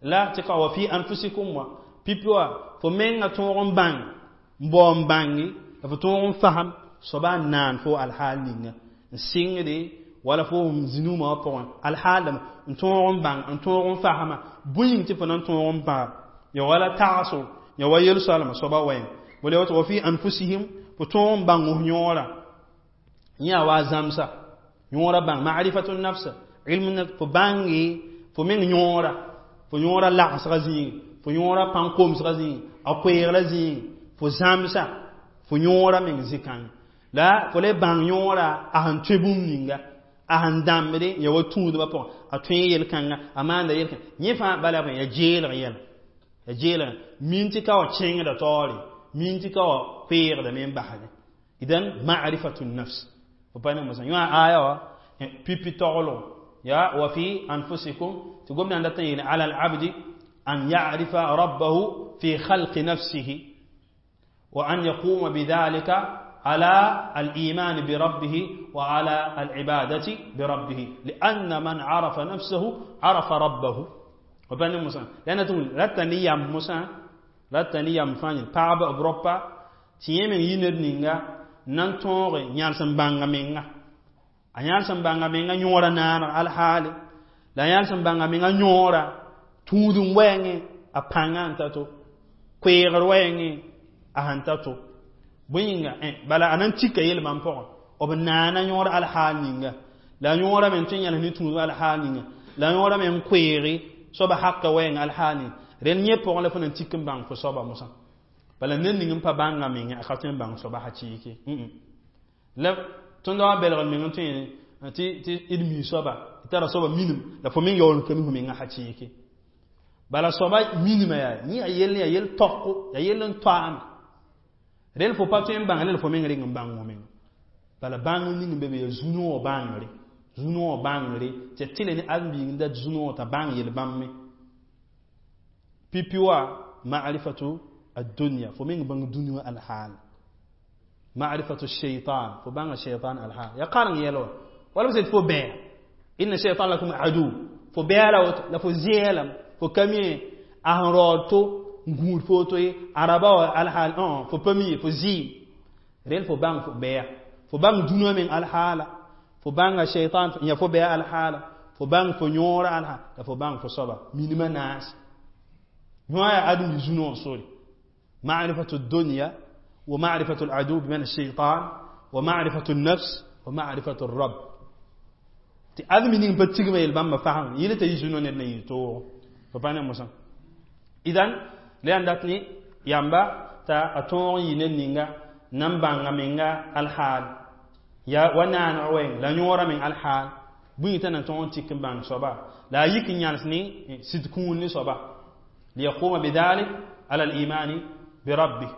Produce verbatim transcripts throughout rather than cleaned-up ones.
La tɩ ka wa fi anfusikum wa pipi wa fo menga tõog n bãng n bao n bãnge la fo tõog n fasem soaba n naan fo alhaal ninga n sɩngde wala fo zĩnũumã wã pʋgẽ alhaal dãmba n tõog n bãng n tõog n fasma bõe yĩng tɩ fo na n tõog n bãga ya wala tagso ya wa yel-soalma soaba wɛɛng bala woto wa fi anfusihim fo tõog n bãng f yõora yẽ a wa zãmsa yõora bãng ma'rifatu nafsa ilmu nafs fo bãnge fo meng yõora fo yõora lagsga zĩig fo yõora pãn-komsga zĩig a koeegla zĩig fo zãmsa fo yõora meng zĩ-kãngã la fo le bãng yõora a sẽn tõe bũmb ninga a sẽn dãmbde ya wa tũudbã pʋgẽ a tõe yel-kãnga a maanda yel-kãnga yẽ fãa bala ya jeelg yɛla ya jeelg min tɩ ka wa kẽngda taoore min tɩ ka wa koeegdame n basdẽ idan ma'rifatu nafs fo pa ne mosã yõ a aya wa pipi taglgo ya wa fi anfusikum tɩ gomdã dat n yeele ala alabdi an ya'rifa rabbahu fi khalqi nafsihi wa an yaquma bidhalika على الإيمان بربه وعلى العبادة بربه لأن من عرف نفسه عرف ربه وبني موسى لأن تقول رتني يام موسى رتني يام فاني باب أوروبا تيمن ينر نينغا nan tõoge yãls n bãnga menga a yãls n bãnga menga yõora naaneg alhaale la yãls n bãnga menga yõora tũud n wɛɛngẽ a pãngã n ta to koeegr wɛɛngẽ a sẽn ta to bõe yĩnga bala a nan tika yel-bãmb pʋgẽ b naana yõor alhaal ninga la yõora me n tõe n yãls ne tũud alhaal ninga la yõora me n koeege soaba haka wɛɛng alhaal ninga rẽnd yẽ pʋgẽ la fo nan tik n bãng fo soaba mosã bala ned ning n pa bãnga menga a ka tõe n bãng soaba hakɩɩke la tõnd wa belgr meng n tõe tɩ tɩ d mi soaba tara soaba minim la fo meng yaool n ka mi fo menga hakɩɩke bala soaba minima yaa yẽ yaa yell yaa yell tɔko yaa yell n toaama rel fo pa tõe n bãng rel fo meng reng n bãng fo menga bala bãng ning n be be yaa zu-noog bãngre zu-noog bãngre tɩ tɩle ne ãdem-biig n dat zu-noog t'a bãng yel-bãmb me pipi wa ma'rifatu الدنيا fo meng bãng dũni wã alhaal ma'rifatu shaitan fo bãnga shaitan alhaal ya kareng yɛl wa wala b sẽn tɩ fo bɛɛ inna shaitan lakum adu fo bɛɛ la woto la fo zɛɛlame fo ka mi a sẽn raood to n gũud fo to ye araba wa alhaal fo pa mi ye fo zɩɩm rel fo bãng fo bɛɛ fo bãng dũni wã meng alhaala fo bãnga shaitan ya fo bɛɛ alhaala fo bãng fo yõora alhaal la fo bãng fo soaba minimã naas yõ yaa ãdem zu-noog sore معرفة الدنيا ومعرفة العدو بمعنى الشيطان ومعرفة النفس ومعرفة الرب tɩ ãdem ning pa tigma yel-bãmbã fasem yɩl t'a yi zu-noog ned na yɩ toogo fo pa ne mosã idan la yaa dat ne yamba t'a a tõog n yɩ ned ninga nan bãnga menga alhaal ya wa naaneg wɛɛng la yõora meng alhaal bõe t'a na tõog n tik n bãng soaba la a yik n yãls ne sɩd kũun ne soaba liyaquma bidhalik ala al-imani بربه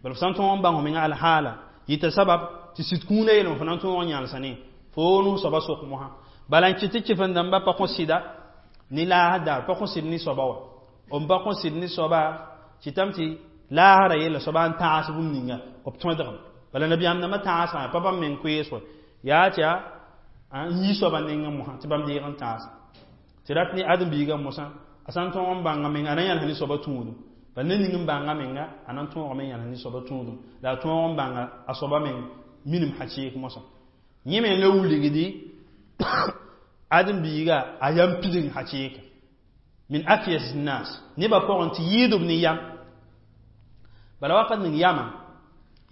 bal sã n tõog n bãng menga alhaala yɩta sabab tɩ sɩd kũuna yeelem fo na n tõog n yãlsa ne fo nus soaba sok mosã bala n kɩt tɩ kɩf-n-dãmba pa kõ sɩda ne laasd daar pa kõ sɩd ne soaba wa b pa kõ sɩd ne soaba kɩtame tɩ laasra yella soaba n tãas bũmb ninga b tõdgem bala nabiyaam dãmbã tãasgã pa bãmb meng koees wa yaa tɩ yaa n yi soaba nengẽ mosã tɩ bãmb deeg n tãas tɩ rat ne ãdem-biigã mosã a sã n tõog n bãnga menga a na yãls ne soaba tũudum bala ned ning n bãnga menga a na n tõogame n yãls ne soaba tũudum la a tõog n bãnga a soaba meng minim hakɩɩk mosã yẽ me la wilgdi ãdem-biiga a yam pidg hakɩɩka min akyas nas nebã pʋgẽ tɩ yɩɩdb ne yam bala wakat ning yama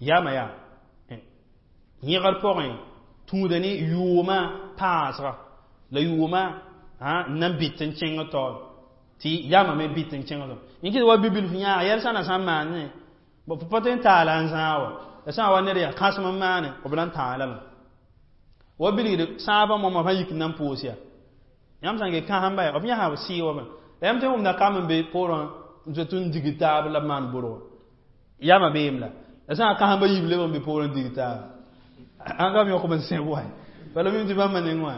yama yaa yẽgr pʋgẽ tũuda ne yʋʋmã paasga la yʋʋmã n na n bɩt n kẽng taoor tɩ yama me bɩt n kẽng taoor yẽ kɩt wa bibilf yãag yɛl sã na sã n maane fo pa tõe n taala n zãag wa la sã n wa ned yaa kãsem n maane b na n taalame wa bilgd sãabã moamã fãa yik n na n pʋʋs yaa yãmb sã n ge kãsem-ba yaa b yãsa b sɩɩ wa la yãmb tõe n wʋmda kam n be poorẽ n zoet n dig taab la b maan borgo yama beem la la sã n kãsem-ba yiib leb n be poorẽ n dig taab an kam yõkb n sẽb wa bala mim tɩ bãmba neng wã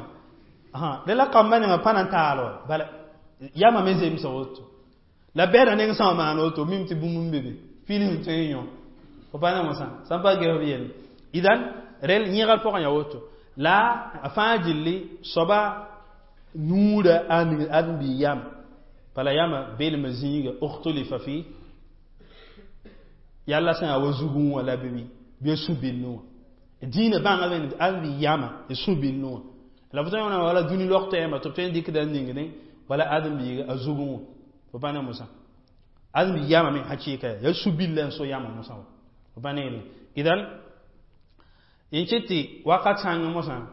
la la kambã nengã pa na n taal wa bala yama me zemsa woto la bɛda neng sã n maan woto mim tɩ bũmb n be be fil sẽn tõe n yõ fo pa ne mosã sã n pa ges b yelle idan rel yẽgr pʋgẽ yaa woto la a fãa gilli soaba nuurã a ning ãdem-biig yam bala Bala yãmba belmã zĩiga ukhtulifa fi yalla sã n yaa wa zugẽ wã la bɩ bɩ sũ-billẽ wã dĩinã bãnga ãdem yãma y sũ-billẽ wã la fo tõe n wala dũni log tɛɛmã tɩ b tõe n dɩkda n ningdẽ wala ãdem-biiga a zugẽ wã fo pa ne mosã ãdem yãma me hakɩɩka yaa yaa sũ-billã n so yãma mosã wã fo pa ne yelle idan yẽ kɩt tɩ wakat sãngẽ mosã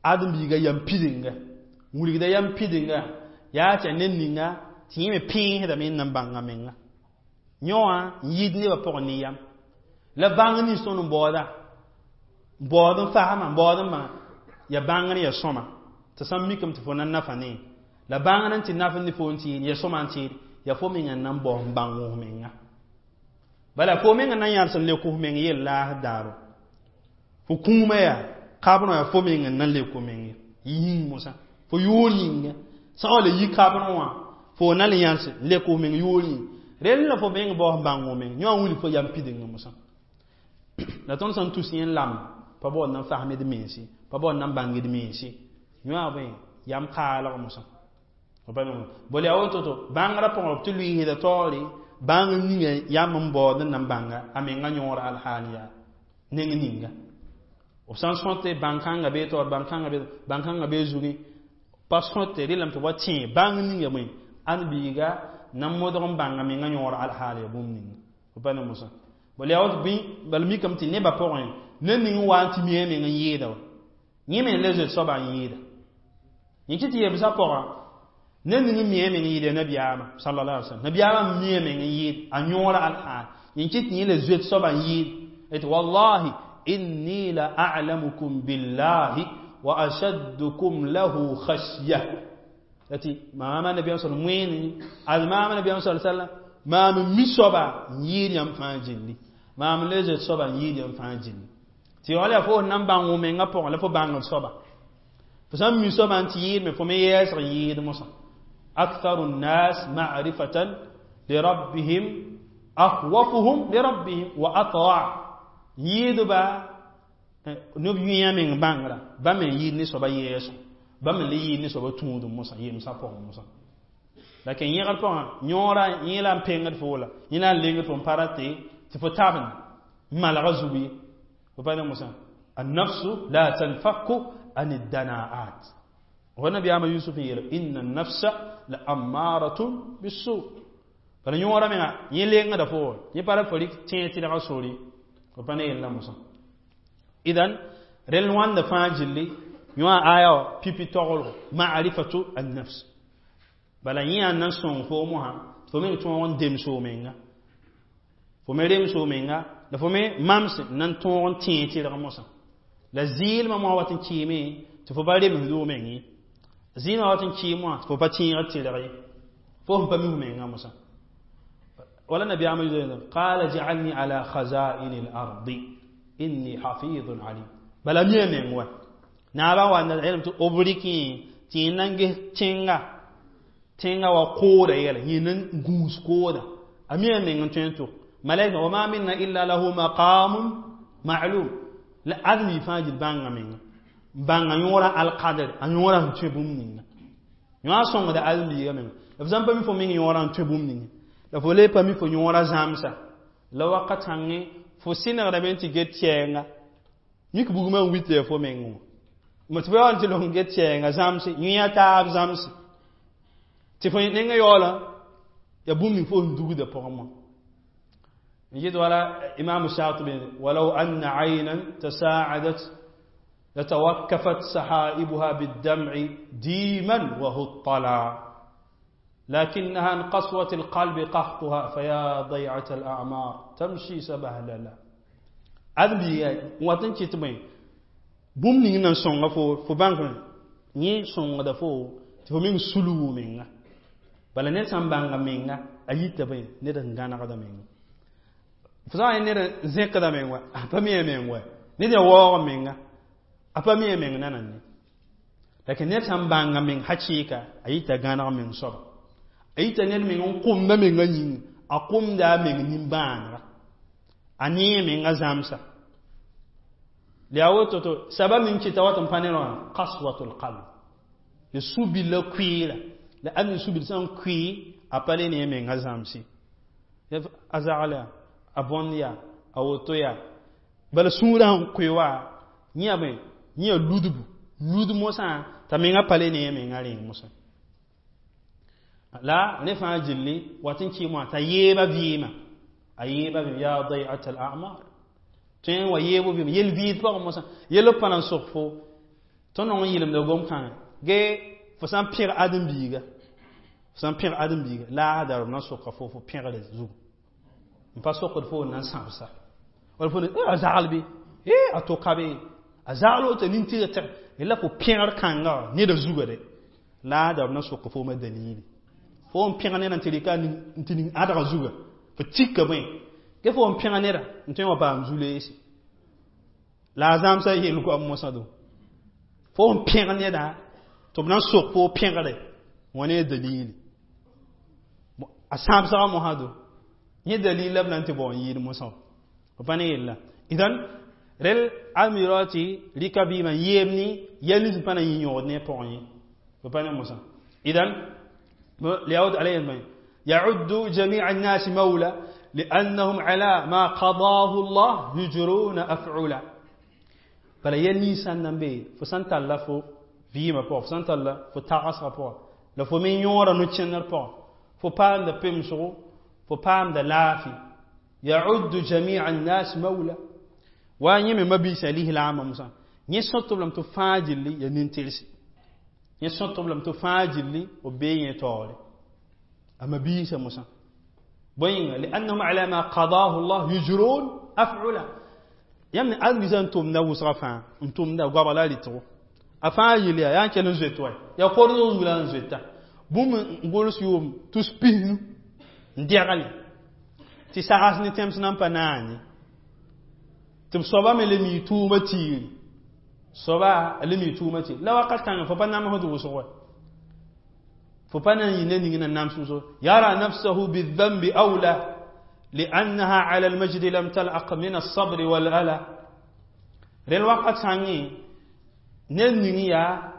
ãdem-biiga yam pidinga wilgda yam pidinga yaa tɩ yaa ned ninga tɩ yẽ me pẽesdame n na n bãng a menga yõ wã n yɩɩd nebã pʋgẽ ne yam la bãng nins tõnd n baooda n baood n fasma n baood n bãnga ya bãngr ya sõma tɩ sã n mikame tɩ fo na n nafa ne la bãngr n tɩ naf ne fo n tɩ ya sõma n tɩɩd ya fo meng n na n bao n bãng f menga bala fo meng n na n yãls n lek f meng yell laasd daaro fo kũumã yaa kabrã yaa fo meng n na n lek f meng yĩng mosã fo yʋʋr yĩnga sã n wa la yi kabrẽ wã fo na n le yãls n lek f meng yʋʋr yĩng rel la fo meng bao n bãng f meng yõ n wilg fo yam pidingã mosã la tõnd sã n tus yẽ n lam pa baood na n fasm d mense pa baood na n bãng d mense yõ bõe yam kaalg mosã bol yaa woto-to bãngrã pʋgẽ b tɩ lʋɩɩsda taoore bãng ninga yam n baood n na n bãnga a menga yõora alhaal yaa neng ninga b sã n sõte bãn-kãngã bee taoor bãn-kãngã bãn-kãngã bee zugẽ pa sõte relame tɩ wa tẽ bãng ninga bõe ãdem-biiga na n modg n bãnga menga yõor alhaal yaa bũmb ninga fo pa ne mosã bal yaa woto bɩ bala mikame tɩ nebã pʋgẽ ned ning n wa n tɩ mi a meng n yɩɩda wa yẽ me le zoet soaba n yɩɩda yẽ kɩ tɩ yemsã pʋgã ned ning n mi a meng n yɩɩda ya nabiyaamã sallallahu alaihi wasallam nabiyaamã n mi a meng n yɩɩd a yõora alhaal yẽ kɩ tɩ yẽ le zoet soaba n yɩɩd tɩ wallahi inni la a'lamukum billahi wa ashaddukum lahu khashya tɩ maama nabiyaam sal wẽene ad maama nabiyaam sal sallam maam n mi soaba n yɩɩd yãmb fãa gilli maam le zoet soaba n yɩɩd yãmb fãa gilli tɩ yaool yaa fo sẽn na n bãng f mengã pʋgẽ la fo bãngd soaba fo sã n mi soaba n tɩ yɩɩd me fo me yɛɛsg n yɩɩd mosã أكثر الناس معرفة لربهم أخوفهم لربهم وأطوع yɩɩdba neb yũyã meng bãngrã bãmb me n yɩɩd ne soaba yɛɛsgo bãmb me le yɩɩd ne soaba tũudum mosã yemsã pʋgẽ mosã lakin yẽgr pʋgã yõora yẽ la n pengd fo la yẽ la n lengd fo n pa rate tɩ fo tabend n malga zug ye fo pa ne mosã النفس لا تنفك عن الدناءات ونبي يوسف يقول إن النفس لأمارة بالسوء bala yõora menga yẽ lengda fo yẽ pa ra fo rɩk tẽeg tɩlga sore fo pa ne yella mosã idan rel wãnda fãa gilli yõ a aya wã pipi taglgo ma'rifatu an-nafs bala yẽ yaa nan sõng fo mosã fo meng tõog n dems f menga fo me rems f menga la fo me mams n na n tõog n tẽeg tɩlg mosã la zɩɩlmã mosã wat n kɩɩme tɩ fo pa remsd f meng ye zɩɩlmã wat n kɩɩm wã tɩ fo pa tẽegd tɩlg ye fo sẽn pa mi f menga mosã wala nabiyaamã قال اجعلني على خزائن الأرض إني حفيظ عليم bala mi a meng wa naabã wa na yelame tɩ b rɩkẽ tɩ yẽ na n ges tẽnga tẽnga wa kooda yɛla yẽ na n gũus kooda a mi a meng n tõe n tʋk malaika وما منا إلا له مقام معلوم la ãdem fãa gil bãnga menga bãnga yõora alqadr a yõora sẽn tõe bũmb ninga yõ a sõngda ãdem-biiga menga la f sã n pa mi fo meng yõora n tõe bũmb ninga la fo le pa mi fo yõora zãmsa la wakat sãngẽ fo sɩnegdame tɩ get kɛɛnga mik bugmã n wit ya fo meng wã tɩ fo yaool tɩ long get kɛɛnga zãmse yẽ taab zãmse tɩ fo nengã yaoola ya bũmb ning fo sẽn dugda pʋgẽ wã نجد ولا إمام الشاطبي ولو أن عينا تساعدت لتوكفت سحائبها بالدمع ديما وهطلا لكنها عن قسوة القلب قحطها فيا ضيعة الأعمار تمشي سبهللا أدبي واتن كتبين bũmb ning nan sõnga fo fo bãng yẽ sõngda fo tɩ fo meng sulgu menga bala ned sã n bãnga menga a yita bõe ned n gãnegda menga fo sã n ned n zẽkda meng wa a pa mi a meng wa ned ya waoog menga a pa mi a meng nanane lakin ned sã n bãnga meng hakɩɩka a yita gãneg meng soaba a yita ned meng n kʋmda menga yĩnga a kʋmda a meng nimbãanega a nee menga zãmsa la yaa woto to sabab ning kɩta wat n pa ne wã qaswatul qalb ya su-billa kʋɩɩra La adem sũ-bil sã n kʋɩ a pa le ne a menga zãmse a zagl yaa a bõnd yaa a woto yaa bala sũurã sẽn kʋɩ wa yẽ bõe yẽ ludbu lud mosã t'a menga pa le ne a menga rẽeng mosã la rẽ fãa gilli wat n kɩɩm wã t'a yeeba vɩɩmã a yeeba vɩɩm yaa dai'at al a'mar tõe n wa yeebo vɩɩm yel vɩɩd pʋgẽ mosã yel b pa na n sok fo tõnd nong n yɩlemda gom-kãngã ge fo sã n pẽg ãdem-biiga fo sã n pẽg ãdem-biiga laasda b na n soka fo fo pẽgre zugu n pa sokd fo n na n sãbsa wala fo a zagl bɩ a toka be a zagl woto nin-tɩg tɩg la fo pẽgr kãnga neda zuga de laasda b na n soka fooma dalili fo n pẽg neda n tɩ rɩka n tɩ ning ãdga zuga fo tika bõe ge fo n pẽg neda n tõe n wa paam zu-leese la a zãmsa yel goam mosã do fo n pẽg neda tɩ b na n sok fo pẽgre wã ne dalili a sãbsga mosã do yẽ dalil la b na n tɩ bao n yɩɩd mosã b pa ne yella idan rel almirã tɩ rɩka vɩɩmã yeeb ne yɛl nins pa na yĩ yõgd ne a pʋgẽ ye b pa ne mosã idan ليعود عليه يعد جميع الناس مولى لأنهم على ما قضاه الله يجرون أفعلا bala yɛl ninsã n na n be fo sã n talla fo vɩɩmã pʋgã fo sã n talla fo tagsgã pʋgã la fo me yõora no-kẽndr pʋgã fo paamda pemsgo fo paamda laafɩ يعد جميع الناس مولى wa yẽ me mabiisã lislaambã mosã yẽ sõtb lame tɩ fãa gilli ya nin-tɩrse yẽ sõtb lame tɩ fãa gilli b bee yẽ taoore a mabiisã mosã bõe yĩnga لأنهم على ما قضاه الله يجرون أفعلا yãmb ne ãdem-biisã n tʋmda wʋsga fãa n tʋmda goabg la a rɩtgo a fãa yel yaa yaa n kell n zoet wa yaa kordg zug la n zoeta bũmb n gʋls yʋʋm tus pisnu n dɛgle tɩ sags ne tẽms nan pa naane tɩ b soaba me le mi tʋʋma tiiri soaba a le mi tʋʋma tiiri la wakat kãngã fo pa namsd wʋsg wa fo pa na n yɩ ned ning na nams wʋsg يرى نفسه بالذنب أولى لأنها على المجد لم تلأق من الصبر والألا rel wakat sãngẽ ned ning yaa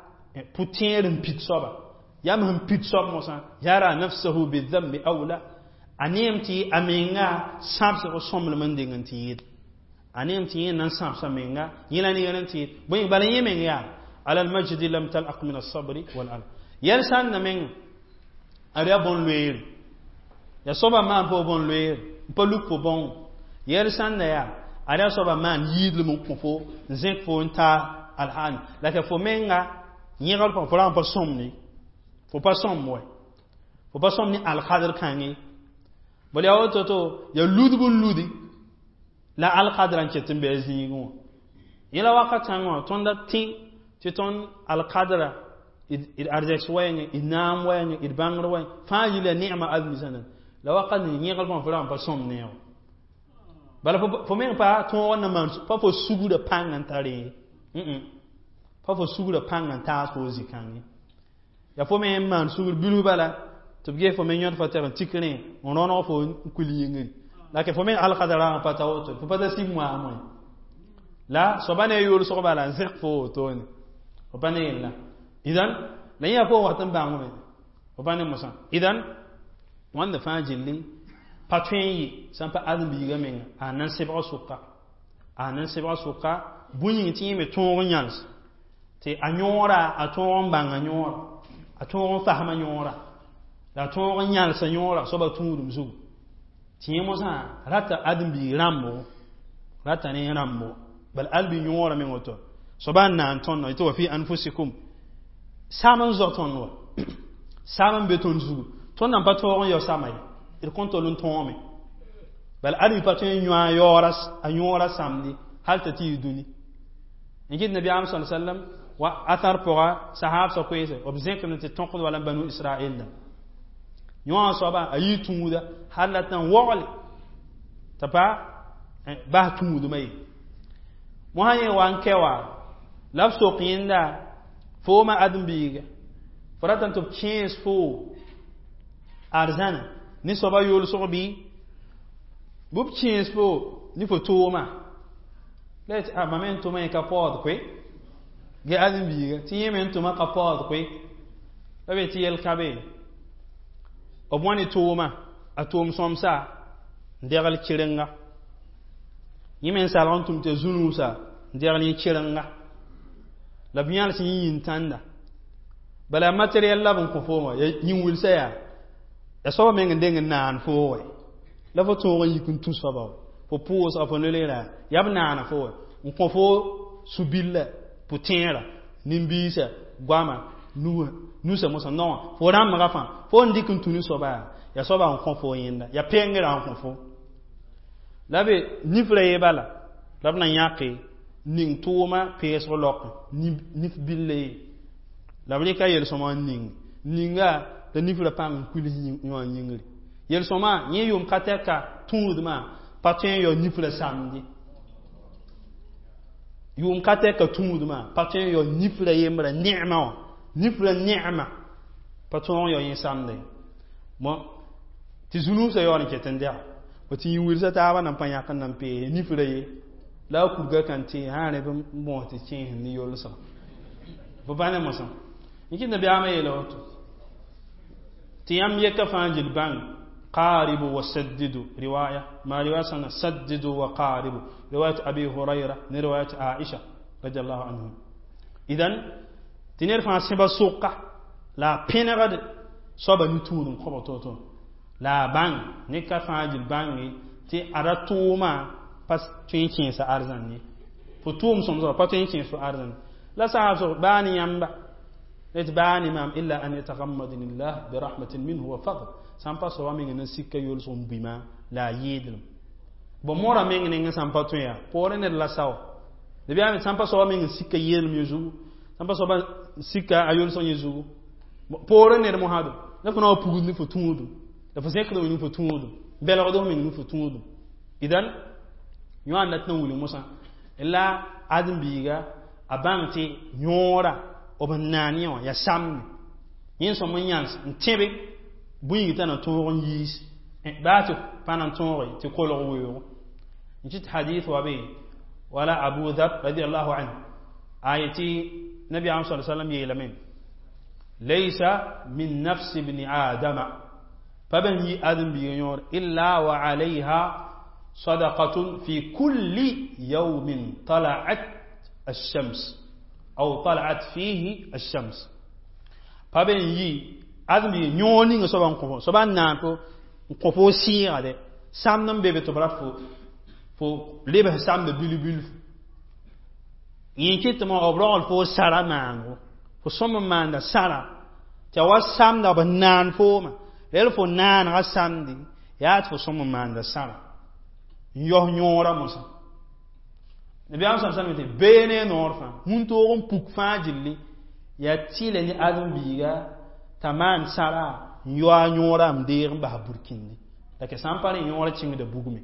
pʋ-tẽer n pid soaba yam sẽn pid soab mosã يرى نفسه بالذنب أولى a neem tɩ a menga sãbsg sõmblem n deng n tɩ yɩɩd a neem tɩ yẽ na n sãbsa menga yẽ la nengr n tɩ yɩɩd bõe bala yẽ meng yaa على المجد لم تلأق من الصبر والألا yɛl sãn na meng a yaa bõn-loeere ya soaba maan pa bõn-loeere n pa luk fo bãong yɛl sãn na yaa a yaa soaba maan yiidlem n kõ fo n zẽk fo n taa alhaani la tɩ fo menga yẽgr pʋgã fo ra n pa sõmne fo pa sõm wɛ fo pa sõm ne alkadr kãngẽ bala yaa woto to ya ludb n ludi la alkadrã n ket n bɩ a zĩigẽ wã yẽla wakat sãngã wã tõnd tẽ tɩ tõnd alkadra d arzɛks wɛɛngẽ d naam wɛɛngẽ d bãngr wɛɛngẽ fãa yɩla neema ãdem-biisã la wakat ning yẽgr pʋgã fo ra n pa sõm ne wã bala fo meng pa tõog n na maan pa fo sugrã pãng n tar ye pa fo sugrã pãng n taas fo zĩ-kãngẽ ya fo me n maan sugr bilf bala tɩ b ges fo me yõd fa tɛg n tik rẽ n rõneg fo n kuil yĩngri la ke fo me alkadrã pa ta woto fo pa ta sib moaamẽ la soaba ne yʋlsg bala n zẽk fo wotone fo pa ne yella idan la yẽ yaa fo wat n bãngme fo pa ne mosã idan wãnda fãa gilli pa tõe n yɩ sã n pa ãdem-biigã menga a nan sebga sʋka a nan sebga sʋka bũn yĩng tɩ yẽ me tõog n yãls tɩ a yõora a tõog n bãnga yõora a tõog n fasma yõora la a tõog n yãlsa yõora soaba tũudum zugu tɩ yẽ mosã rata ãdem-biig rãmbo rata ne rãmbo bala ãdem-biig yõora meng woto soaba n naan tõnd tɩ وفي أنفسكم sam n zao tõnd wa sam n be tõnd zugu tõnd nan pa tõog n yao sama ye d kõn tol n tõome bala ãdem pa tõe n yõ a yaoora a yõora samdi hal t'a tɩ yɩ dũni n kɩt nabiyaam sa sallam wa athar pʋga sahabsã koeese b zẽkame tɩ tõkd wala banu israel da yõa soaba a yɩ tũuda hal la tɩ n waogle t'a pa bas tũudmã ye mosã yẽ wa n kɛ wa la b sok yẽnda fooma ãdem-biiga fo ratame tɩ b kẽes fo arzãna ne soaba yʋlsg bɩ bɩ b kẽes fo ne fo tooma la yetɩ a mam n tʋma yẽ ka paood koe ge ãdem-biiga tɩ yẽ me n tʋma ka paood koe La be tɩ yɛl ka be b wã ne tooma a toom sõmsa n degl kɩrenga yẽ me n salg n tʋm tɩ zu-nuusa n degl yẽ kɩrenga la b yãls yẽ yĩn-tãnda bala materiel la b n kõ foom wã yĩn-wilsã yaa ya soaba meng n deng n naan foo wɛ la fo tõog n yik n tũ soaba wɛ fo pʋʋsga fo noleera yaa b naana fo wɛ n kõ fo su-billa pʋ-tẽera nin-biisã goama nusa mosã noã fo rãmbga fãa fo n dɩk n tũ ne soaba yaa ya soaba n kõ fo yẽnda ya pengrã n kõ fo la be nifra ye bala la b na yãke ning tʋʋma peesg laokẽ nif billa ye la b rɩka yel-sõma n ning ninga la nifra pãng n kuils yõ yĩngri yel-sõma yẽ yʋʋm ka tɛka tũudmã pa tõe n yao nifra samdi yʋʋm ka tɛka tũudmã pa tõe n yao nifra yembra ne'ma wã nifra ne'ma pa tõog n yao yẽ samde bon tɩ zu-nuusã yaool n ket n dɛga bõ tɩ yĩn-wilsã taabã nan pa yãk n nan peese nifra ye la a kurga kan tẽ sã rẽ b bõos tɩ kẽes ne yolsgã fo pa ne mosã n kɩt nabiyaamã yeela woto tɩ yãmb yɛka fãa gil bãng قاربوا وسددوا رواية ما رواية سنة سددوا وقاربوا رواية أبي هريرة رواية عائشة رضي الله عنهم إذن تنير فان سبا سوقة لا بينغد soaba ni-tũudum kõba to-to la a bãng ne ka fãa gil bãnge tɩ ada tʋʋma pa tõe n kẽesa arzãn ye fo tʋʋm sõmsgã pa tõe n kẽes fo arzãn la saab sg baa ne yãmba tɩ baa ne maam illa an yatagammadani llah birahmatin minhu wa fadl sãn pa soaba meng na sika yolsg n buima la a yɩɩdlem bõ mora meng nengẽ sãn pa tõe yaa poorẽ ned la sao nabiyaam sãn pa soaba meng n sika yɩɩdlem yẽ zugu sãn pa soaba sika a yolsg yẽ zugu poorẽ ned mosado la fo na wa pugd ne fo tũudum la fo zẽkd meng ne fo tũudum belgd f meng ne fo tũudum idan yõa n dat n wilg mosã la ãdem-biiga a bãng tɩ yõora b n naan yẽ wã yaa samde yẽ sõm n yãns n tẽbe bũyg t'a na tõog n yiis baa tɩ pa na n tõoge tɩ kolg weoogo n kɩt hadith wa be wala abu dhar radiallahu anhu a yetɩ nabiyaam sa sallam yeelame laysa min nafsi bni adama pa ben yi ãdem-biiga yõor illa wa alayha صدقة في كل يوم طلعت الشمس أو طلعت فيه الشمس pa ben yi ãdem-biiga yõor ninga soaba n kõ soaba n naan fo n kõ fo sɩɩga de samd n be be tɩ b rat fo fo lebs samda bil-bilfu yẽ kɩtɩ b rogl fo sara maango fo sõm n maanda sara tɩ a wa samda b naan fooma rel fo naanega samdi yaa tɩ fo sõm n maanda sara n yaos yõora mosã nabiyaam sa salm tɩ bee ne noor fãa wũntoog n puk fãa gilli yaa tɩɩla ne ãdem-biiga t'a maan sara n yaoa yõora m deeg n bas burkindi la ke sã n pa rẽ yõora kẽngda bugme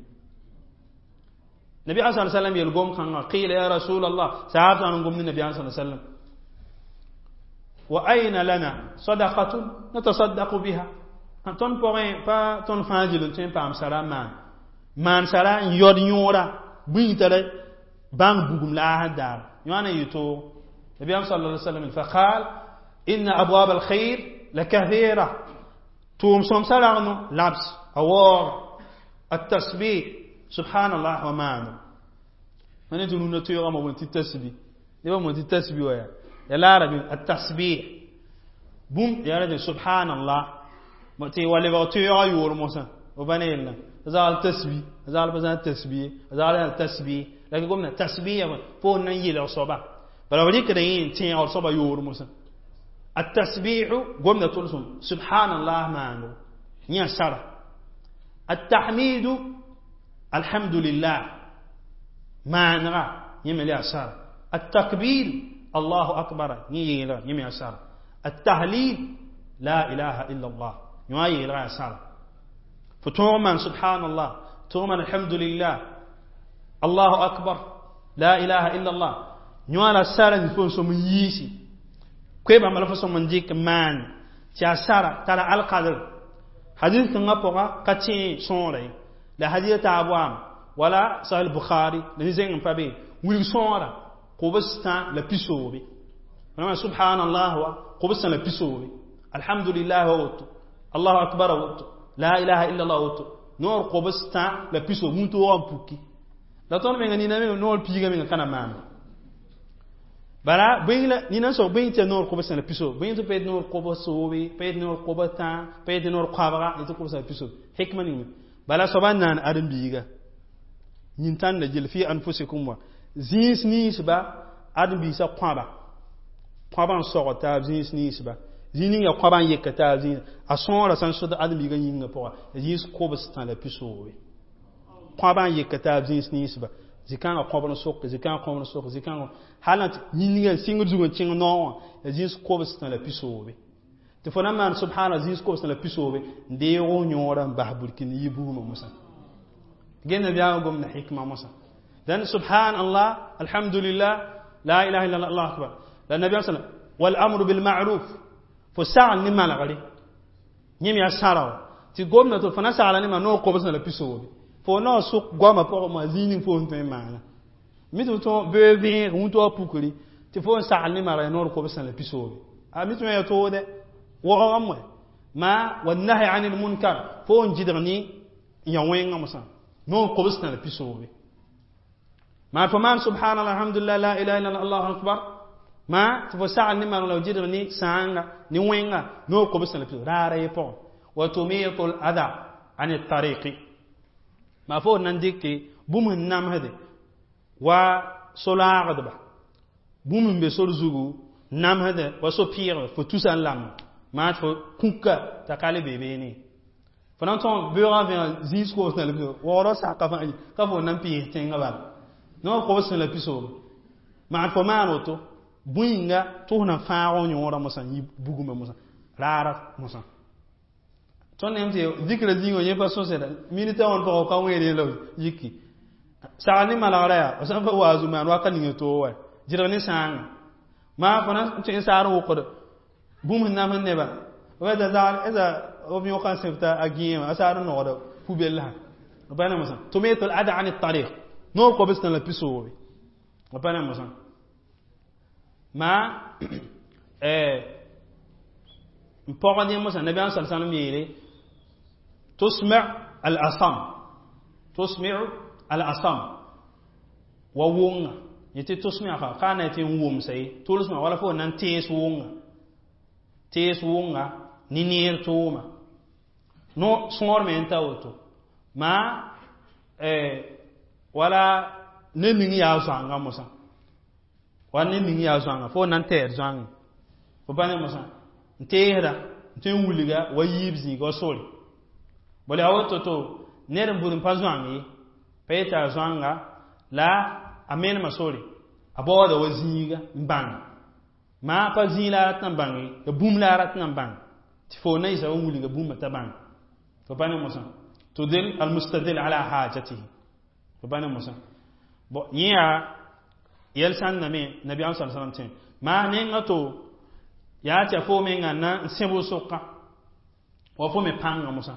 nabiyaam sa sallam yel gom kãngã qila ya rasulallah saab sã n gom ne nabiyaam sa sallam wa ayna lana sadaqatun natasaddaqu biha tõnd pʋgẽ pa tõnd fãa gil n tõe n paam sara n maan maan sara n yaod yõora bũing tara bãng bugum la a sẽn daar yõa na yɩ toog nabiyaam sala alai sallam faqal inna abwab alkhair la kathira tʋʋm sõmsã ragno labs a waooga التسبيح سبحان الله wa maano ma ne tɩ rũnã toeegã mo tɩ tasbi nebã mo tɩ tasbi wa yaa ya laarabi التسبيح bũmb yaa rẽ subhanallah tɩ wa lebg toeegã yoor mosã b pa ne yella zaal tasbi zaal pa zãn tasbi zaal tasbi la gomna tasbiya fo nan yelg soaba bala b rɩkda yẽ n tẽegr soaba yoor mosã التسبيح قمنا تلسم سبحان الله ما يا سرى التحميد الحمد لله ما نرى يملي أسار التكبير الله أكبر يمي أسار التهليل لا إله إلا الله يمي أسار فتوما سبحان الله توما الحمد لله الله أكبر لا إله إلا الله يوانا سارة نفون سوم ييسي كويبا مالا فسوم من ديك مان تي سارة ترى القدر حديث كان بوغا كاتي سونري لا حديث تابوام ولا صحيح البخاري لنزين بابي ويل سونرا قبستا لا بيسوبي سبحان الله قبستا لا بيسوبي Alhamdulillah wa woto, Allahu akbar woto, la ilaha illa Allah woto, noor kobs tã la piso wũntoogã n puki. La tõnd menga nina me noor piiga menga ka na maana. Bala bõe la nina n soab bõe tɩ ya noor kobs la piso, bõe tɩ pa yet noor kobs soobe, pa yet noor kobs tã, pa yet noor koabga, tɩ kobs la piso. Hikma ning bala soaba n naan ãdem-biiga yĩn-tãnda gill fi anfusikum wa zĩis ninsba ãdem-biisã kõaba kõaba n sogd taab zĩis ninsba zĩig ning yaa kõaba n yeka taab zĩis a sõora sã n sʋd ãdem-biigã yĩngã pʋga zĩis kobs tã la pisoobe kõaba n yeka taab zĩis ninsba zĩ-kãngã kõbr n soke zĩ-kãngã kõbr n soke zĩ-kãngã hal n yĩnga n sɩngd zug n kẽng naoɔ wã ya zĩis kobs tã la pisoobe tɩ fo na n maan subhana zĩis kobs tã la pisoobe n deeg f yõorã n bas burkĩnd n yi bugmã mosã gel nabiyaamã gomda hikma mosã dãn subhanallah alhamdulillah la ilaha illallah allahu akbar la nabiyaam sallam wal amru bil ma'ruf fo sagl ne malgre yẽ me yaa sãra wã tɩ gomda tɩ fo na sagla ne ma noor kobs la pisoobe fo naoor sʋk goamã pʋgẽ moa zĩig ning fo sẽn tõe n maana mi tɩ f tõe bee vẽeg wũntʋa pukri tɩ fo n sagl ne marg noor kobs la pisoobe a mi tɩ yaa toode waoogã moe ma wannahi anil munkar fo n gɩdg ne n ya wẽngã mosã noor kobs la pisoobe ma fo maan subhanallah alhamdulillah la ilaha illallah allahu akbar ma tɩ fo sagl ne marg la gɩdg ne sãanga ne wẽnga noor kobs la pisoobe raara ye pʋgẽ wa tumitu l ada an tariqi ma fo nan dɩke bũmb n namsde wa so-laagdba bũmb n be sor zugu namsde wa so-pɩɩgbe fo tusa n lamma maa tɩ fo kũka t'a ka le be beene fo na n tõg beoogã vẽeg zĩis kobs la pisoobe waoodg saka fãa ka fo na n pɩɩs tẽngã bala noor kobs la pisoobe maan fo maan woto bũyinga tɩ f na fãag f yõorã mosã n yi bugmã mosã raara mosã tõnd nem tɩ zikra zĩigã yẽ pa sõseda minita wãn pʋgã ka wẽed la yiki sagl ne malgrã yaa f sã n pa waazu maan wakat ninga toog wa gɩdg ne sãanga maa fo na n tõe n saar n wʋkd bũmb sẽn namsd neba eza b yõka n sẽbta a gẽema a saar n nogda pubellsã b pa ne mosã tumitu l ada an tariq noor kobs tã la pisoobe b pa ne mosã maa n pɔgd yẽ mosã nabiyaam sal salm yeele tusmi al asam tusmi al asam wa wʋnga yẽ tɩ tusmia ka ka na tɩ n wʋmsa ye tʋlsmã wala fo na n tees wʋnga tees wʋnga ne neer tʋʋma no sõor me n ta woto maa wala ne ning yaa zoanga mosã wala ne ning yaa zoanga fo na n tɛɛd zoangẽ fo pa ne mosã n teesda n tõe n wilga wa yiib zĩiga wa sore bala yaa woto to ned n bud n pa zoang ye pa yeta a zoanga la a menema sore a baooda wa zĩiga n bãng maa pa zĩig la a rat n bãng ye ya bũmb la a rat n bãng tɩ fo na yɩsa wa wilga bũmba t'a bãng fo pa ne mosã tudil almustadil ala hajatihi fo pa ne mosã bon yẽ yaa yɛl sãnda me nabiyaam sa sallam tẽ maa nenga to yaa tɩ a fo menga na n sẽb sʋka wa fo me pãnga mosã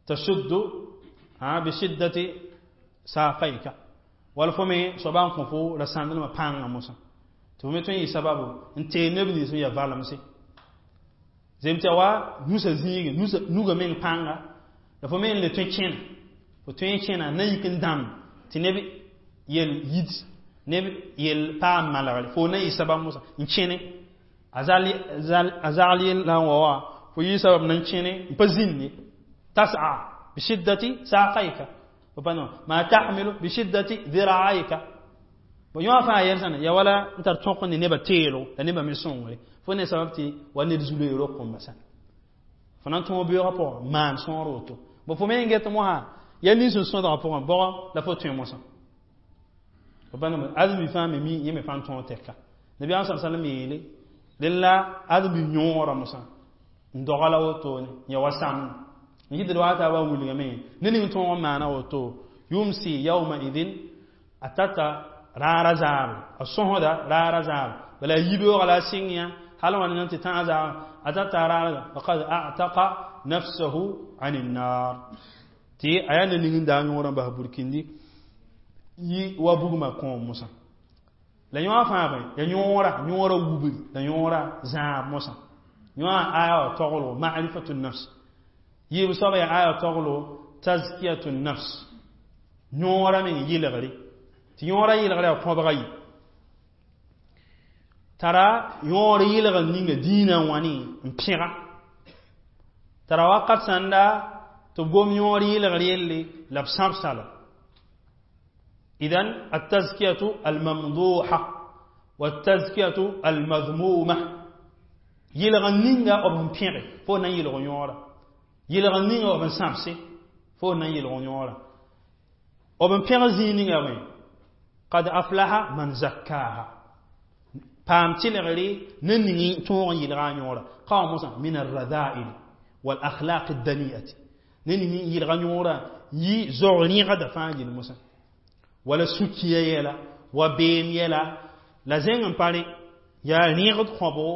tashuddu bishiddati saqayka wala fo me soaba n kõ fo ra sãndlmã pãnga mosã tɩ fo me tõe n yɩ sababu n tee neb nins n yaa valemse zem tɩ ya wa nusa zĩige nuga meng pãnga la fo me n le tõe kẽna fo tõe n kẽna na yik n dãmb tɩ neb yel yid neb yel paam malgre fo na yɩ sabab mosã n kẽne a zagl yel la n wa wã fo yɩ sabab na n kẽne n pa zĩnd ye tas'a bishiddati saqayka ma tahmilu bishiddati dhira'ayka bo yõ fãa yɛl sãna ya wala n tar tõk ne nebã teelgo la nebã me sõngre fo ne sabab tɩ wa ned zu-loeer kõmba sã fo na n tõog beoogã pʋgã maan sõor woto bo fo me n get mosã ya nins n sõdgã pʋgã bʋgã la fo tõe mosã fo pa ãdem-bi fãa me mi yẽ me fãa n tõog tɛka nabiyaam sa sallam yeele dẽn la ãdem-bi yõorã mosã n doga la wotone ya wa sãmb n yɩtd wa taabã n wilgame ne ning tõog n maana woto yumsi yawma idin a tata raara zaabre a sõsda raara zaabre bala a yibeoogã la a sɩng yã hal wãn nan tɩ tãag zaabr a tata raara faqad a'taqa nafsahu an innar tɩ a yaa ne ning n daa yõorã n bas burkindi yi wa bugmã kõom mosã la yõ fãa bõe ya yõora yõora wubri la yõora zãab mosã Yõa aya wã toglgo ma'rifatu nafs. Yiib soaba yaa aya toglgo tazkiyatu nafs. Yõora meng yɩlgre. Tɩ yõora yɩlgre yaa kõbga yi. Tara yõor yɩlgr ninga dĩinã wã ne n pẽga. Tara wakat sãnda tɩ b gom yõor yɩlgr yelle la b sãbsa la. إذن التزكية الممدوحة والتزكية المذمومة yɩlg ninga b sẽn pẽge fo na n yɩlg yõora yɩlg ninga b sẽn sãbse fo na n yɩlg yõora b n pẽg zĩig ninga bõe qad aflaha man zakkaha paam tɩlgre ne ning tõog n yɩlga a yõora ka wã mosã min arrada'il والأخلاق الدنيئة ne ning yɩlga yõora yi zog rẽgda fãa gill mosã wala sukiya yɛla wa beem yɛla la zẽng n pa rẽ yaa rẽgd kõbgo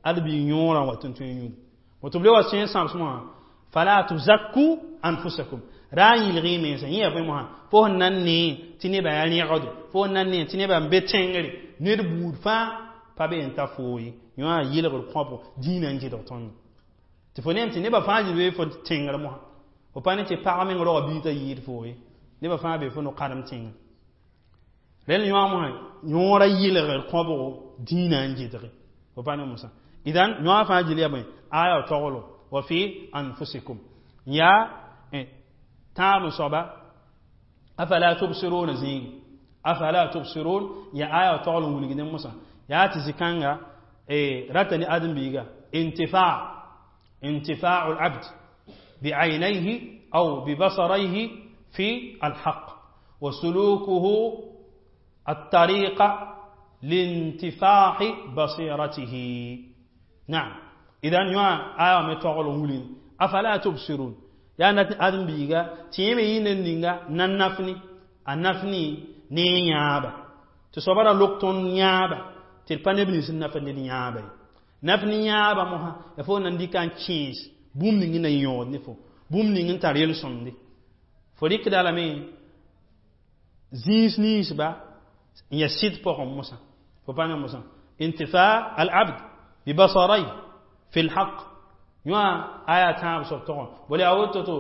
ad bɩ yõorã wa tɩ n tõe n yũud woto b le wa sẽ n sãbs mosã fala tuzakku anfusakum ra n yɩlg y mensã yẽ yaa bõe mosã fo sẽn na n nee tɩ nebã yaa rẽgdo fo sẽn na n nee tɩ nebã n be tẽngre ned buud fãa pa be n ta foo ye yõ yɩlgr kõbgo dĩinã n gɩdg tõndo tɩ fo neem tɩ nebã fãa zĩ be fo tẽngr mosã fo pa ne tɩ pag meng roga bii t'a yɩɩd foo ye nebã fãa be fo no-kãdem tẽngr rẽnd yõ mosã yõora yɩlgr kõbgo dĩinã n gɩdge fo pa ne mosã idan yõ fãa gil yaa bõe aya toglo wa fi anfusikum yaa tãab n soaba afala tubsiruna zĩigi afala tubsirun ya aya togl n wilgdẽ mosã yaa tɩ zĩ-kãnga rata ne ãdem-biiga intifa انتفاع العبد بعينيه أو ببصريه في الحق وسلوكه الطريق لانتفاع بصيرته نعم إذن يوا آية متوغل ولين أفلا تبصرون يا آدم بيغا تيمي ينن نينغا نان نفني النفني ne yãaba tɩ soaba ra lok tõnd yãaba tɩ d pa neb nins n naf ned yãaba ye naf ne yãaba mosã ya fo nan dɩka n kẽes bũmb ning n na yõod ne fo bũmb ning n tar yel-sõmde fo rɩkda lame zĩis ninsba n ya sɩd pʋgẽ mosã fo pa ne mosã intifa al-abd bibasaray fi lhaq yõa aya tãab soab tɔgẽ bala yaa woto to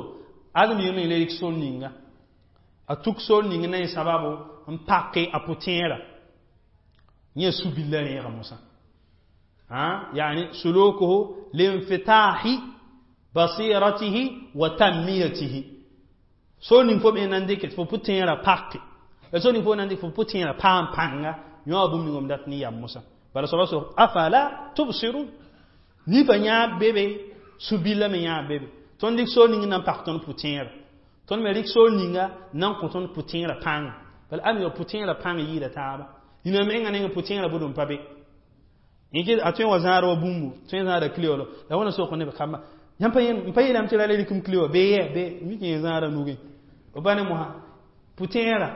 ãdem-biig meng le rɩk sor ninga a tuk sor ning na yẽ sababo n pake a pʋtẽera yẽ su-billa rẽega mosã يعني سلوكه لانفتاح بصيرته وتنميته sor ning fo me nan dɩk tɩ fo pʋtẽerã pake la sor ning fo nan dɩk fo pʋtẽerã paam pãnga yõ bũmb ning m dat ne yam mosã bala soaba so afala tubsirun nifa yãab be be su-billa me yãab be be tõnd dɩk sor ning n na n pak tõnd pʋtẽerã tõnd me rɩk sor ninga n na n kõ tõnd pʋtẽerã pãnga bala am ya pʋtẽerã pãng yɩɩda taaba nina menga neng pʋtẽerã bʋd n pa be yẽ a tõe wa zãad wa bũmbu tõe zãada kile wala la wãna sok neb kamba yãmb pa yeelame tɩ ra le rɩkem kile wã bee yɛ be mik yẽ zãada nugẽ b pa ne mosã pʋtẽerã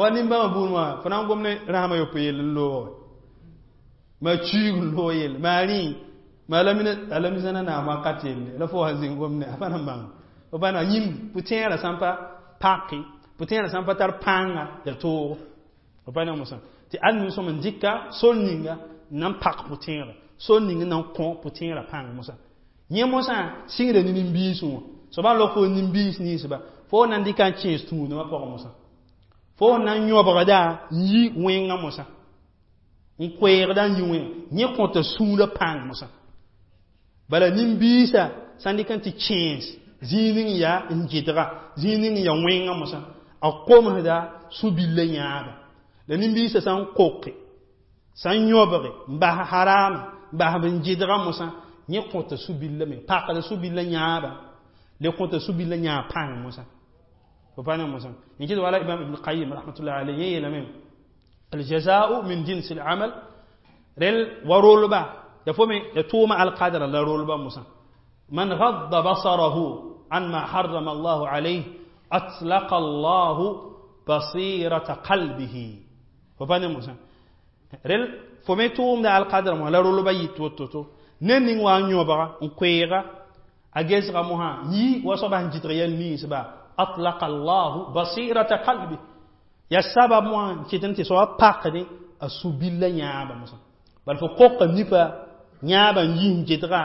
wa nin-bãmba buud wã fo na n gom ne rasmã yopoe yell n loog ma chuig n loog yell maa rĩ ma a la naam wakat yelle la fo wa zĩng gom ne a pa na n bãng b pa na yĩmb pʋtẽerã sã n pa pake pʋtẽerã sã n pa tar pãnga ya toogo b pa ne mosã tɩ ãdem sõm n dɩka sor ninga n na n pak pʋtẽerã sor ning n na n kõ pʋtẽerã pãng mosã yẽ mosã sɩngda ne nin-biisẽ wã soaba n lok fo nin-biis ninsba fo na n dɩka n kẽes tũudmã pʋgẽ mosã fo na n yõbgda n yi wẽngã mosã n koeegda n yi wẽnga yẽ kõta sũurã pãng mosã bala nin-biisã sã n dɩk n tɩ kẽes zĩig ning yaa n gɩdga zĩig ning n yaa wẽngã mosã a komsda su-billa yãaba la nin-biisã sã n koke sã n yõbge n bas harama n bas n gɩdga mosã yẽ kõta su-billa me pakda su-billa yãaba le kõta su-billa yãab pãng mosã fo pa ne mosã yẽ kɩt wala imam ibn qayyim rahmatullah alayhi yẽ yeelame الجزاء من جنس العمل رل ورولبا يفهم يتوم القدر لا رولبا موسى من غض بصره عن ما حرم الله عليه أطلق الله بصيرة قلبه فبان موسى رل فمي توم دا القدر ما لا رولبا يتوتوتو نين وان يوبا نكويغا أجيس غموها يي وصبا نجتريال نيسبا أطلق الله بصيرة قلبه ya sabab wã kɩt n tɩ soaba pakde a su-billa yãaba mosã bala fo koka nipa Yãabã n yis n gedga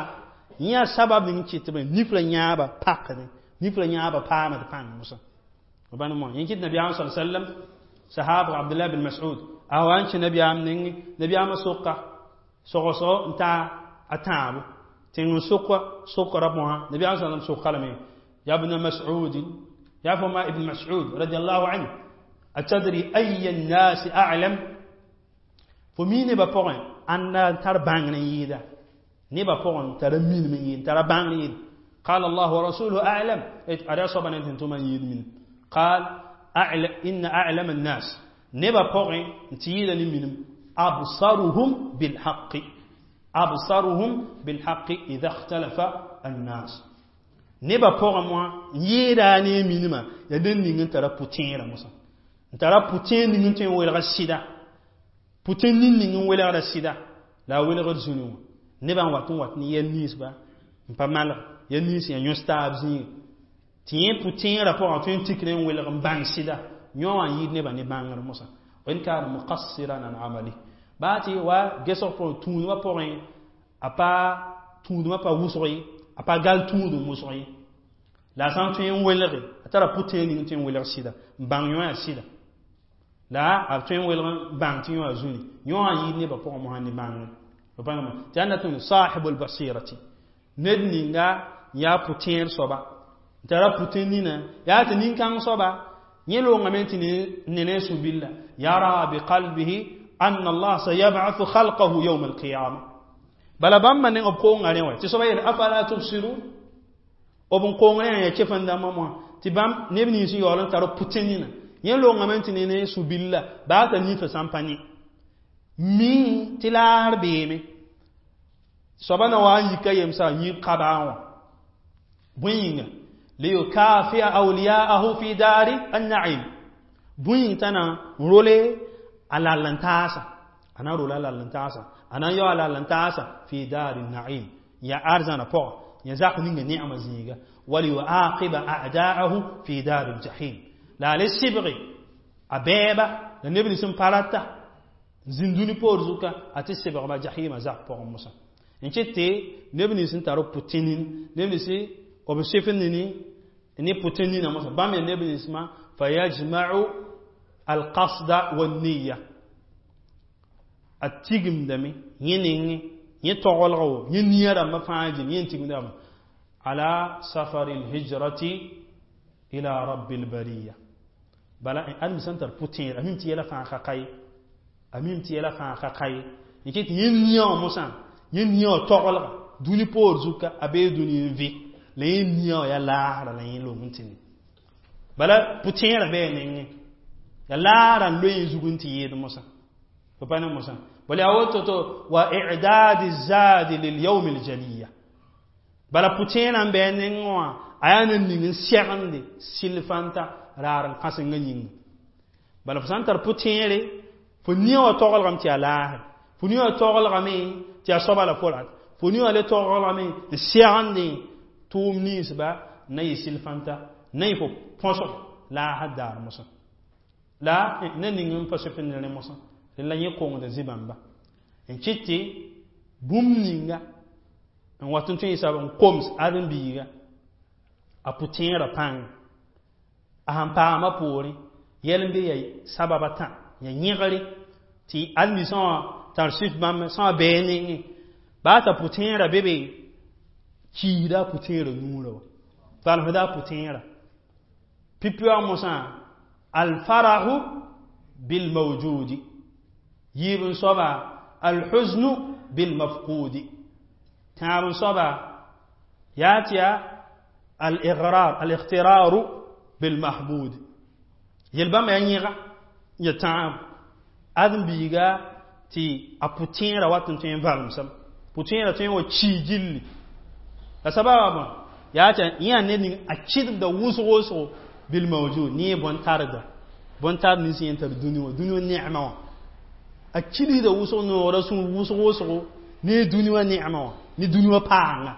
yã sabab ning kɩt tɩ nif la yãabã pakdẽ nif la yãabã paamd pãng mosã b mo yẽ kɩt nabiyaam sa sallam sahab Abdullah bin Mas'ud a wa n kẽ nabiyaam nengẽ nabiyaamã soka sogsgo n ta a tãabo tẽng n soka sokra mosã nabiyaam sallam soka lame ya ibn Mas'ud ya foma ibn Mas'ud radiyallahu anhu atadri ayya an-nas a'lam fo mi nebã pʋgẽ ãnda n tar bãngr n yɩɩda nebã pʋgẽ tara minim n yɩɩd tara bãngr yɩɩd قال الله ورسوله أعلم أرى صبا أنتم يد من قال أعلم إن أعلم الناس نبا بوغي تيدا منهم أبصرهم بالحق أبصرهم بالحق إذا اختلف الناس نبا بوغي موا يدا ني منما يدن نين ترى بوتين موسى ترى بوتين نين تين ويلغ السيدا بوتين نين نين ويلغ السيدا لا ويلغ زونو نبا واتون وات ني ينيس با pa mal ya nins ya yõs taab zĩig tɩ yẽ pʋ-tẽerã pʋgã tõe n tikr n welg n bãng sɩda yõ wã n yɩɩd nebã ne bãngr mosã wa in kana muqassiran an amali baa tɩ wa gesg pʋgẽ tũudmã pʋgẽ a pa tũudmã pa wʋsg ye a pa gal tũudum wʋsg ye la a sã n tõe n welge a tara pʋ-tẽer ning tõe n welg sɩda n bãng yõ yaa sɩda la a tõe n welg n bãng tɩ yõ yaa zũni yõ wã n yɩɩd nebã pʋgẽ mosã ne bãngr tɩ ãnda tɩ sahibul basirati ned ninga yaa pʋtẽer soaba n tara pʋtẽ nina yaa tɩ nin-kãng soaba yẽ loongame tɩ ne ne sũ-billa yara biqalbihi anna allah sayab'athu khalqahu yawm alqiyama bala bãmba neng b koonga rẽ wa tɩ soaba yeel afala tubsirun b n koong rẽ yaa kefẽn-dãmbã moã tɩ bãmb neb nins n yaool n tar pʋtẽ nina yẽ loongame tɩ ne ne sũ-billa baa t'a nifã sã n pa ne mi tɩ laasr beeme soaba na wa n yika yemsa n yɩ kabaa wã bõe yĩnga liyukafia awliyaahu fi dari an-na'im bõe yĩng t'a na n role a lall n taasa a na rola a lall n taasa a na n yao a lall n taasa fi dari na'im ya arzãna pʋga ya zak ninga ne'ema zĩiga waliyuaqiba a'da'ahu fi dari al-jahim la a le sɩbge a bɛɛba la neb nins n pa rata zĩnd dũni poor zuka a tɩ sɩbgba jahima zak pʋgẽ mosã n kɩt tɩ neb nins n tar pʋtẽ-nin neb nins b sɩf nini ne pʋtẽ nina mosã bãmb yaa neb ninsmã fayajma'u alqasda wanniya a tigimdame yẽ nengẽ yẽ togelga wo yẽ nia rãmbã fãa gil yẽ n tigimdame ala safari lhijrati ila rabbi lbariya bala ãdem sẽn tar pʋtẽer a mim tɩ yɛla fãa ka ka ye a mim tɩ yɛla fãa ka ka ye n kɩt yẽ nia wã mosã yẽ nia wã togelga dũni poor zuka a bee dũni n vɩ la yẽ nia wã yaa laasra la yẽ long n tɩ ne bala pʋtẽerã bɩ a nengẽ ya laara n loe yẽ zug n tɩ yɩɩd mosã fo pa ne mosã bala yaa woto to wa i'dadi zadi lilyawm aljaliya bala pʋtẽerã n bɩ a nengẽ wã a yaa ne ning n segende sɩl-fãnta raar n kãsengã yĩnga bala fo sã n tar pʋtẽere fo nia wã togelgame tɩ yaa laasre fo nia wã togelgame tɩ yaa soaba la fo rat fo nia wã le togelgame n segende tʋʋm ninsba na yɩ sɩl-fãnta na yɩ fo põsg laasr daar mosã la ne ning n pa sʋp ne rẽ mosã la yẽ kongda zĩ-bãmba n kɩt tɩ bũmb ninga n wat n tõe n sab n koms ãdem-biiga a pʋtẽerã pãng a sẽn paama poorẽ yɛl n be ya sababa tã ya yẽgre tɩ ãdem-biisã wã tar sɩf bãmb sã wã bɩ nengẽ baa t'a pʋtẽerã be be kiisda a pʋtẽerã nuurã wa valsda a pʋtẽerã pipi wã mosã alfarahu bilmawjudi yiib n soaba alhuznu bilmafqudi tãab n soaba yaa tɩ yaa al-igrar al-igtiraru bilmahmud yel bãmba yaa yẽga ya tãab ãdem-biiga tɩ a pʋtẽerã wat n tõe n valemsem pʋtẽerã tõe n wa kii gilli la sababa bõe yaa tɩ yẽ yaa ned ning a kɩdemda wʋsg wʋsgo bilmawjud ne bõn-tarda bõn-tard nins yẽ tar dũni wã dũni wã ne'ma wã a kilsda wʋsg noora sũur wʋsg wʋsgo ne dũni wã ne'ma wã ne dũni wã paanga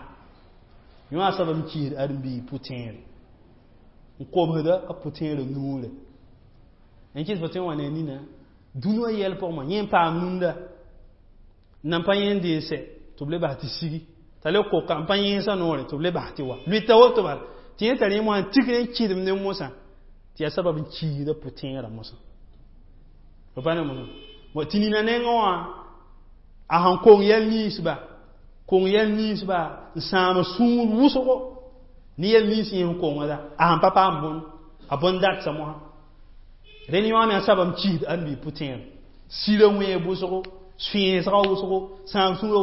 yõ a soab n kiisd ãdem-biig pʋtẽere n komsda a pʋtẽerã nuurã n kɩs fo tõe n wa ne nina dũni wã yɛl pʋgẽ yẽ n paam rũndã n nan pa yẽnd n sɛ Tɩ b le bas tɩ sigi t'a le koka n pa yẽesã noore tɩ b le bas tɩ wa lʋɩta woto bala tɩ yẽ tar yẽ mosã n tikr n kɩdem ne mosã tɩ yaa sabab n kiisda pʋ-tẽerã mosã fo pa ne mosã tɩ nina nengẽ wã a sẽn kong yɛl ninsba kong yɛl ninsba n sãam sũur wʋsgo ne yɛl nins yẽ sẽn kongda a sẽn pa paam bõn a bõn datsa mosã rẽnd yõ me a sabab n kiisd ãmb pʋ-tẽer sira wẽeg wʋsgo sẽesga wʋsgo sãam sũurã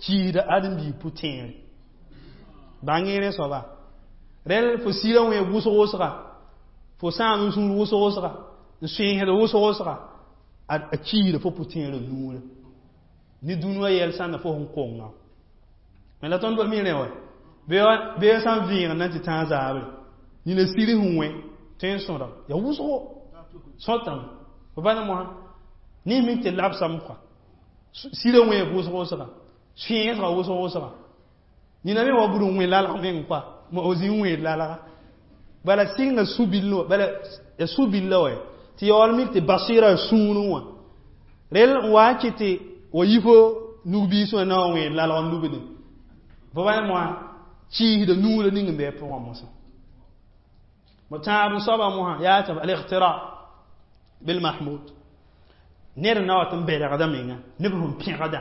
kiisda ãdem-biig pʋ-tẽer bãng rẽ soaba rẽl fo sira wẽeg wʋsg wʋsga fo sãam n sũur wʋsg wʋsga n sẽesd wʋsg wʋsga a kiisda fo pʋ-tẽerã nuurã ne dũniyã yɛl sãnda fo sẽn konga me la tõnd mi rẽ wa bee sã n vẽegd na n tɩ tãag zaabre nina sir sẽn wẽ tõe n sõda ya wʋsgo sõtame fo pa ne mosã ne mi tɩ labsame kɔa sirã wẽeg wʋsg wʋsga sẽesga wʋsg wʋsga nina me wa bud n wẽ lalg meng kɔa o zĩ n wẽed lalga bala sɩnga su-bill wã bala ya su-billa wa tɩ yaool mik tɩ basɩɩra sũurẽ wã rel n wa n kɩ tɩ wa yi fo nug-biis wã na wa wẽed lalg n lubde fo pa ne mosã kiisda nuurã ning n bɩ a pʋgã mosã mo tãab n soaba mosã yaa tɩ al-iqtira bil-mahmud ned n na wa tɩ n bɛlgda menga neb sẽn pẽgda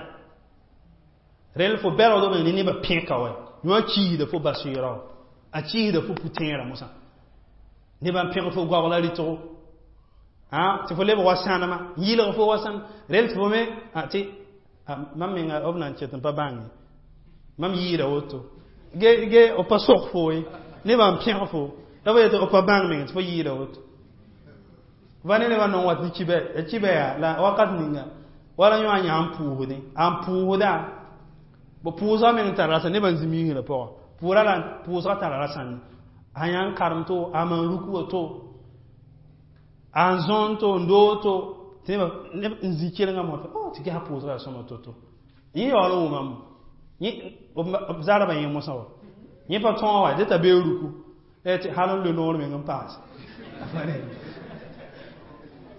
rel fo bɛlgd b ne nebã pẽka wa yõ kiisda fo basɩɩra wa a kiisda fo pʋ-tẽerã mosã nebã n pẽg fo goabla rɩtgo tɩ fo lebg wa sãnema n yɩlg fo wa sãn rel tɩ fo me tɩ mam menga b na n ket n pa bãnge mam yɩɩda woto ge ge b pa sok fo ye nebã n pẽg fo la fo yetɩ b pa bãng meng tɩ fo yɩɩda woto va ne nebã nong wat ne kibɛ ya kibɛ yaa la wakat ninga wala yõ a yã n pʋʋsdẽ a n pʋʋsda b pʋʋsga meng tara rasa nebã n zĩ miisrã pʋgã pʋʋra la pʋʋsga tara rasãnde a yã n karem to a maan ruku wa to a n zõon to n doog to tɩ neb n zĩ kelengã mosã oh tɩ ges pʋʋsga yaa sõma to-to yẽ yaool n wʋmam b zarba yẽ mosã wa yẽ pa tõog wa dẽ t'a bee ruku tɩ hal n loe noor meng n paase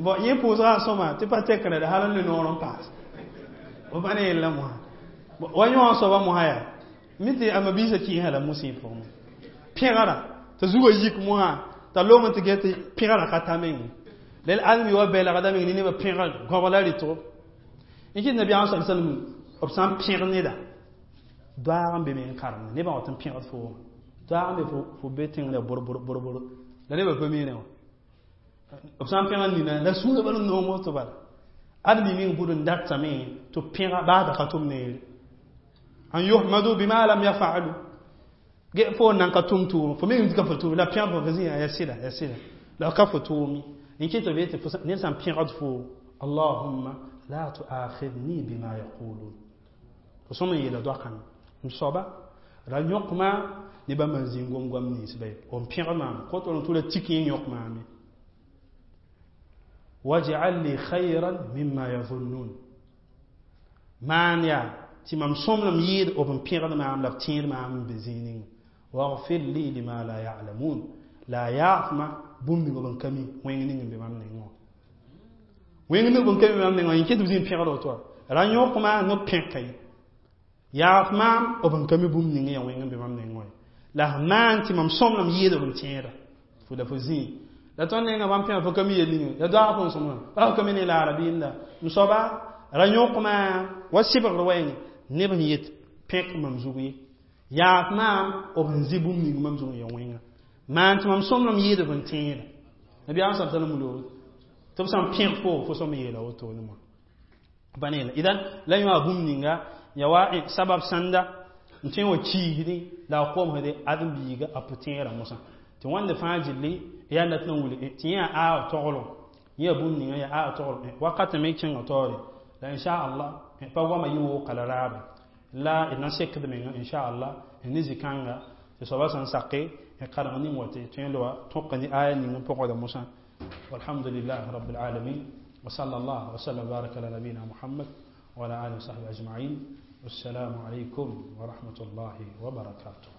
bon yẽ pʋʋsga sõma tɩ pa tekre d hal n loe noor n paase b pa ne yella mosã wa yõ soaba mosã yaa mi tɩ a mabiisã kɩɩsã la mosẽ pʋgẽ pẽgra t'a zugã yik mosã t'a long tɩ get tɩ pẽgrã ka ta meng lel ãdem wa bɛlgda meng ne nebã pẽga goabla rɩtgo n kɩt nabiyaam sa sallam b sã n pẽg neda doaag n be me n karemde nebã wat n pẽgd fo wã doaag n be fo be tẽngda bor bor bor bor la nebã pa miirẽ wã b sã n pẽga nina la sũurã bal n noom woto bala ãdem meng bud n datame tɩ pẽga baa da ka tʋm neere an yuhmadu bima lam yafalu ge fo nan ka tʋm tʋʋm fo meng ka fo tʋʋm la pẽgd fo fo zĩ ya sɩda ya sɩda la ka fo tʋʋm n kɩ tɩ b yetɩ ned sã n pẽgd fo allahumma la tuakhidni bima yaqulun fo sõm n yeela doakãng m soaba ra yõk maam ne bãmb n zĩng gom-goam ninsba ye n pẽg maam kõt n tʋla tik yẽ yõk maame waj'al li khayran mimma yazunnun maan yaa tɩ mam sõmblem yɩɩd b n pẽgd maam la b tẽed maam n be zĩig ninga waghfir li lima la ya'lamun la yaafma bũmb ning b n ka mi wẽng ning n be mam nengẽ wã wẽng ning b n ka mi mam nengẽ wã yẽ kɩ tɩ b zĩ n pẽgd woto wa ra yõk maam no pẽka ye yaaf maam b n ka mi bũmb ning yaa wẽng n be mam nengẽ wã la f maan tɩ mam sõmblem yɩɩd b n tẽeda fo la fo zĩig la tõnd nenga bãmb pẽga fo ka mi yel ninga ya doag fo n sõmblem pa fo ka mi ne la arabiinda m soaba ra yõk maam wa sɩbgr wɛɛngẽ neb sẽn yet pẽk mam zug ye yaaf maam b sẽn zĩ bũmb ning mam zug n ya wẽnga maan tɩ mam sõmblem yɩɩd b n tẽeda nabiyaam sa sallam wilg tɩ b sã n pẽg fo fo sõm yeela wotone moa pa ne idan la yõ a bũmb ninga ya wa sabab sãnda n tõe n wa kiisdẽ la a komsde ãdem-biiga a pʋ-tẽerã mosã tɩ wãnde fãa gilli yaa dat n wilg tɩ yẽ yaa aa toglg yẽ yaa bũmb ninga yaa aa toglg wakat me kẽnga taoore la inchallah pa goama yɩ wooka la raabe la d na sekd menga inchallah ne zĩ-kãnga tɩ soaba sẽn sake n kareng ning wa tɩ tõe n loa tõka ne aya ning n pʋgda mosã والحمد لله رب العالمين وصلى الله وسلم وبارك على نبينا محمد وعلى آله وصحبه أجمعين والسلام عليكم ورحمة الله وبركاته.